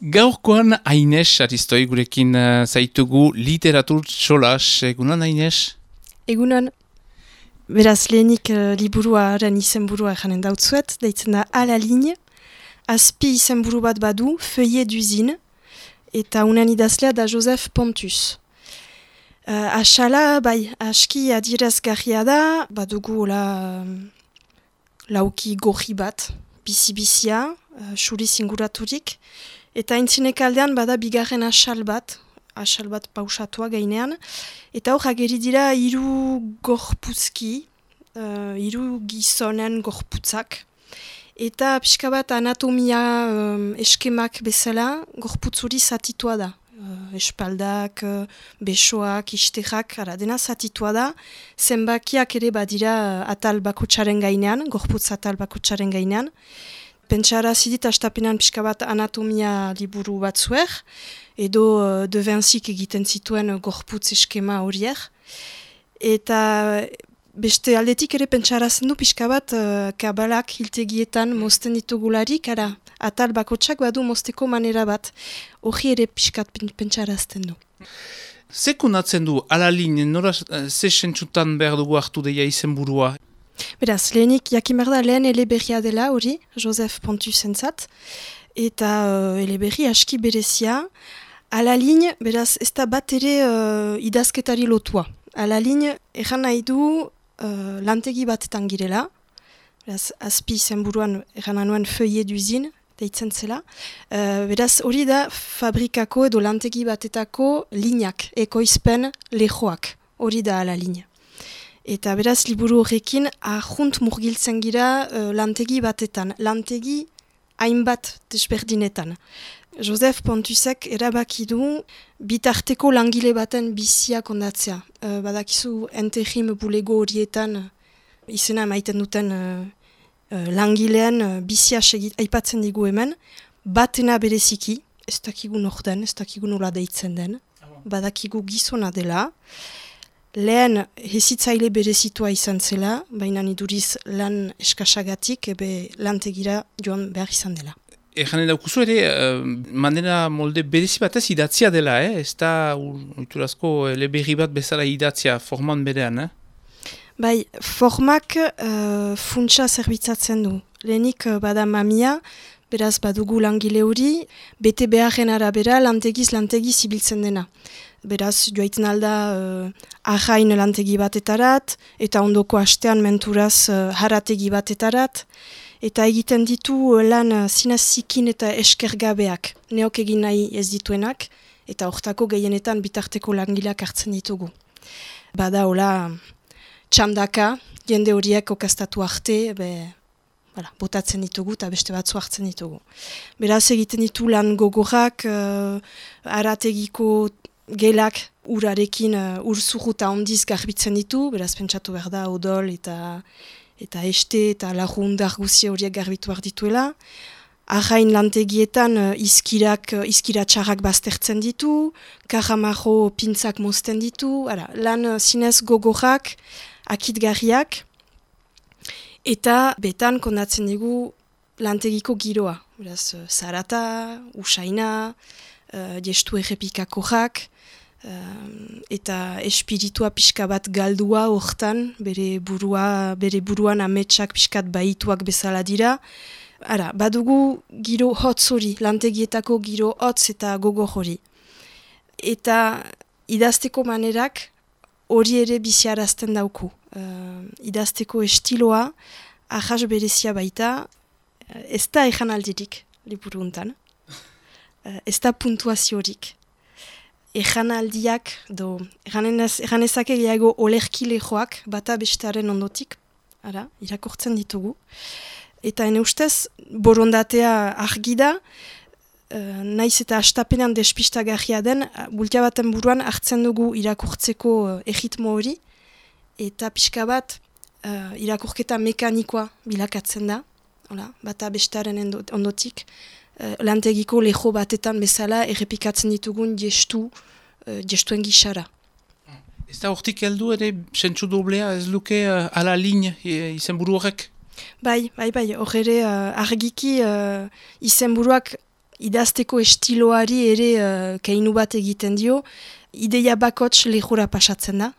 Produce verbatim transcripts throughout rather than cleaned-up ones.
Gaurkoan Aines Aristoi gurekin uh, zaitugu literatur solas. Egunon Aines? Egunon. Beraz lehenik uh, liburuaren izenburua janen dautzuet, deitzen da A la ligne. Azpi izenburu bat badu, Feuillet d'usine, eta unen idazlea da Joseph Pontus. Uh, Asala, bai, aski adierazgarria da, badugu la, lauki gorri bat, bizi-bizia, uh, suriz inguraturik, eta intzinek aldean bada bigarren asal bat, asal bat pausatua gainean, eta hor ageri dira hiru gorpuzki, uh, hiru gizonen gorputzak, eta pixka bat anatomia um, eskemak bezala gorputzuri zatitua da. Uh, espaldak, uh, besoak, isterrak, ara, dena zatitua da, zenbakiak ere badira uh, atal bakotxaren gainean, gorputz atal bakotxaren gainean. Pentsara zidit astapenan pixka bat anatomia liburu batzuer, edo uh, de Vincyk egiten zituen uh, gorputz eskema horiek. Eta beste aldetik ere pentsarazen du pixka bat uh, kabalak hiltegietan mozten ditugularik, ara, atal bakotsak badu mozteko manera bat, hori ere pixkat pentsarazten du. Zekunatzen du, alalin, nora ze sentsutan behar dugu hartu deia izenburua? Beraz, lehenik jakimerda lehen eleberria dela hori, Joseph Pontus entzat, eta uh, eleberri aski berezia. Alalin, beraz, ez da bat ere uh, idazketari lotua. Alalin, egan nahi du uh, lantegi batetan girela, beraz, azpi izenburuan egan nuen Feuillet d'usine, deitzen zela. Uh, beraz, hori da fabrikako edo lantegi batetako lineak, ekoizpen lehoak, hori da Alalin. Eta beraz, liburu horrekin, ahunt murgiltzen gira uh, lantegi batetan, lantegi hainbat desberdinetan. Joseph Pontusek erabaki du bitarteko langile baten bizia kondatzea. Uh, badakizu entegim bulego horietan izena maiten duten uh, uh, langileen uh, bizia segit, aipatzen digu hemen, batena bereziki, ez dakigu norden, ez dakigu nola deitzen den, badakigu gizona dela, lehen hezitzaile berezitua izan zela, baina iduriz lan eskasagatik, ebe lantegira joan behar izan dela. Egan edaukuzu ere, uh, manera molde berezi batez idatzia dela, eh? Ez da oiturazko eleberri bat bezala idatzia forman berean, eh? Bai, formak uh, funtsa zerbitzatzen du. Lehenik uh, bada mamia, beraz badugu langile hori, bete beharren arabera lantegiz lantegiz ibiltzen dena. Beraz, joaiten alda uh, arrain lantegi batetarat, eta ondoko astean menturaz uh, harategi batetarat, eta egiten ditu uh, lan uh, zinazikin eta eskergabeak, neok egin nahi ez dituenak, eta hortako gehienetan bitarteko langileak hartzen ditugu. Bada hola txandaka, jende horiek okaztatu arte, be, Hala, botatzen ditugu eta beste batzu hartzen ditugu. Beraz egiten ditu lan gogorrak, uh, arategiko gelak urarekin uh, urzuru eta ondiz garbitzen ditu, beraz pentsatu behar da odol eta, eta este eta lagundar guzia horiek garbitu behar dituela. Arrain lantegietan uh, izkirak, uh, izkiratxarrak baztertzen ditu, karamajo pintzak mozten ditu, hala, lan uh, zinez gogorrak, akitgarriak, eta betan kondatzen dugu lantegiko giroa. Beraz, uh, zarata, usaina, uh, jestu errepikakoak, uh, eta espiritua pixka bat galdua hortan, bere, burua, bere buruan ametsak pixkat baituak bezala dira. Ara, badugu giro hotz hori, lantegietako giro hotz eta gogo hori. Eta idazteko manerak hori ere biziarazten dauku. Uh, idazteko estiloa, ahas berezia baita, uh, ez da ejan aldirik, liburu untan. Uh, ez da puntuaziorik. Ejan aldiak, do, ejan ezake gehiago olerkile joak, bata bestearen ondotik, ara, irakortzen ditugu. Eta ene ustez, borondatea argi da, uh, naiz eta astapenean despistagarria den, bultia baten buruan hartzen dugu irakurtzeko uh, erritmo hori, eta pixka bat uh, irakurketa mekanikoa bilakatzen da, hola, bata bestaren ondotik, uh, lantegiko leho batetan bezala errepikatzen ditugun gestu, uh, gestuen gixara. Ez da hortik heldu ere sentsu doblea ez luke uh, Alalin e, izenburu horrek? Bai, bai, bai, hor ere uh, argiki uh, izenburuak idazteko estiloari ere uh, keinu bat egiten dio, ideia bakots lehura pasatzen da.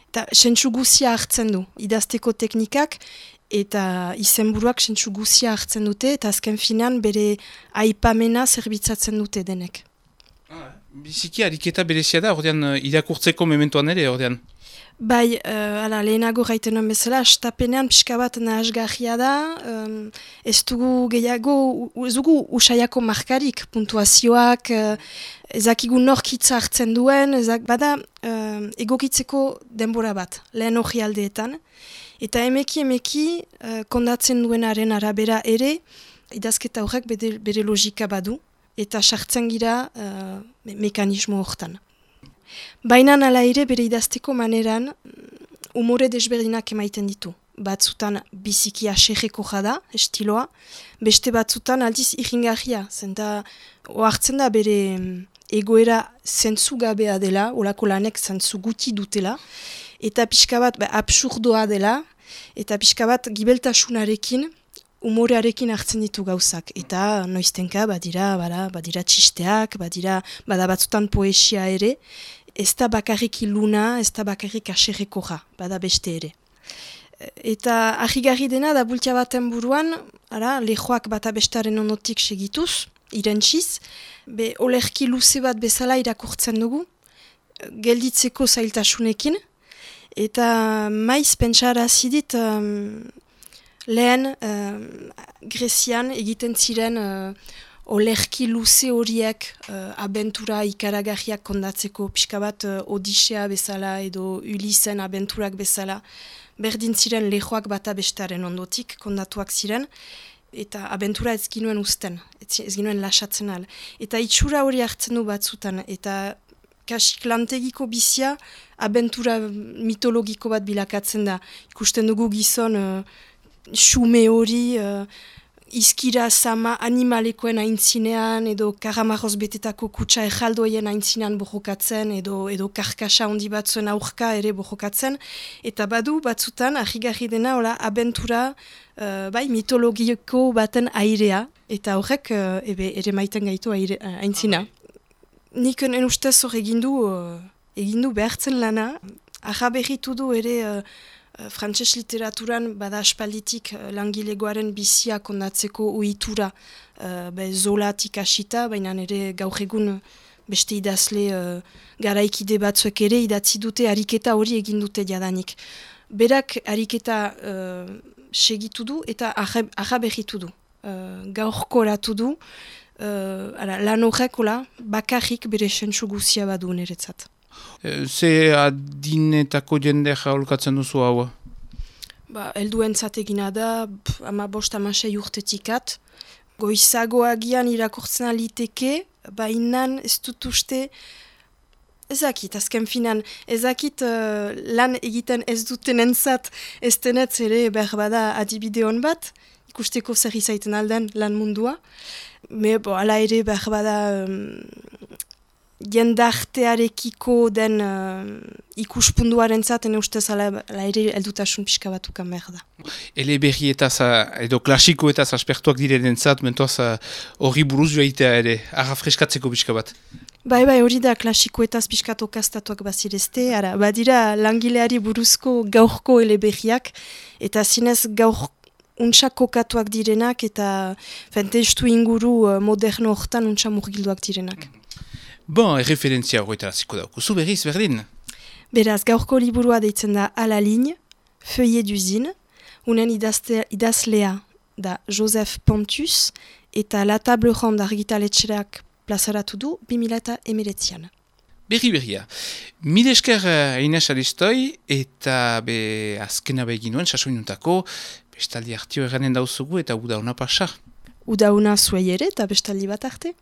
Eta sentsu guzia hartzen du, idazteko teknikak, eta izenburuak sentsu guzia hartzen dute, eta azken finan bere aipamena zerbitzatzen dute denek. Ah, biziki ariketa berezia da, ordean irakurtzeko mementoan ere, ordean? Bai, uh, ala, lehenago gaitenan bezala, astapenean pixka bat nahasgarria da, um, ez dugu gehiago, ez dugu usaiako markarik, puntuazioak, uh, ezakigu norkitza hartzen duen, ezak, bada uh, egokitzeko denbora bat, lehen hori aldeetan, eta emeki emeki uh, kondatzen duenaren arabera ere, idazketa horrek bere, bere logika badu, eta sartzen gira uh, me mekanismo hortan. Baina nala ere bere idazteko maneran umore desberdinak emaiten ditu. Batzutan biziki aserreko jada, estiloa, beste batzutan aldiz irringarria. Zenta ohartzen da bere egoera zentzu gabea dela, olako lanek zentzu guti dutela, eta pixka bat ba, absurdoa dela, eta pixka bat gibeltasunarekin, umorearekin hartzen ditu gauzak. Eta noiztenka badira, bada, badira txisteak, badira, bada batzutan poesia ere, ez da bakarrik iluna, ez da bakarrik aserreko ja, bada beste ere. Eta ahigarri dena da bultia baten buruan, ara, lehoak bata bestaren onotik segituz, irentsiz, be olerki luze bat bezala irakurtzen dugu, gelditzeko zailtasunekin, eta maiz pentsara zidit um, lehen um, Grezian egiten ziren uh, olerki luze horiek uh, abentura ikaragarriak kondatzeko, pixka bat uh, Odisea bezala edo Ulisen abenturak bezala, berdin ziren lehoak bata bestaren ondotik kondatuak ziren, eta abentura ez ginuen usten, ez ginuen lasatzen al. Eta itxura hori hartzen du batzutan, eta kasik lantegiko bizia abentura mitologiko bat bilakatzen da. Ikusten dugu gizon uh, xume hori, uh, izkira sama animalekoen aintzinean, edo karamarroz betetako kutsa ejaldoien aintzinean bojokatzen, edo, edo karkasa handi batzuen aurka ere bojokatzen. Eta badu batzutan, ahigarri dena, hola, abentura uh, bai, mitologiko baten airea, eta horrek uh, ebe, ere maiten gaitu aire, uh, aintzina. Nik en ustez hor egindu, uh, egindu behartzen lana, ahaberritu du ere uh, frantses literaturan bada aspalditik uh, langilegoaren bizia kondatzeko ohitura uh, be, zolatik hasita, baina ere gaur egun beste idazle uh, garaikide batzuek ere idatzi dute ariketa hori egin dute jadanik. Berak ariketa uh, segitu du eta ahaberritu du, uh, gaurkoratu du, uh, ala, lan horrekola bakarrik bere sentsu guzia badu niretzat. Ze adinetako jende jaulkatzen duzu hau? Ba, helduentzat egina da, pff, ama bost amasei urtetikat. Goizagoagian irakurtzen aliteke, bainan ez dut uste, ezakit, azken finan, ezakit uh, lan egiten ez dutenentzat ez denetz ere berbada adibide hon bat, ikusteko zer izaiten alden lan mundua. Me, bo, ala ere berbada um, jendartearekiko den uh, ikuspunduaren zaten ustez ala, ala ere eldutasun pixka batukan behar da. Eleberrietaz edo klasikoetaz aspertuak direnen zat, mentoaz hori uh, buruz joaitea ere, arra freskatzeko pixka bat. Bai, bai, hori da klasikoetaz pixkat okastatuak bazirezte, ara, badira langileari buruzko gaurko eleberriak, eta zinez gaur untsa kokatuak direnak, eta fentestu inguru uh, moderno hortan untsa murgilduak direnak. Bon, erreferentzia horretaraziko dauku. Zu berriz, berdin? Beraz, gaurko liburua deitzen da A la ligne, Feuillet d'usine, unen idazte, idazlea da Joseph Pontus, eta La Table Ronde argitaletxerak plazaratu du bi mila hemeretzian. Berri berria. Mil esker Ines Aristoi, eta be azkena begin nuen, sasoinuntako, bestaldi hartio erranen dauzugu, eta uda hona pasa. Uda hona zuei ere, eta bestaldi bat arte.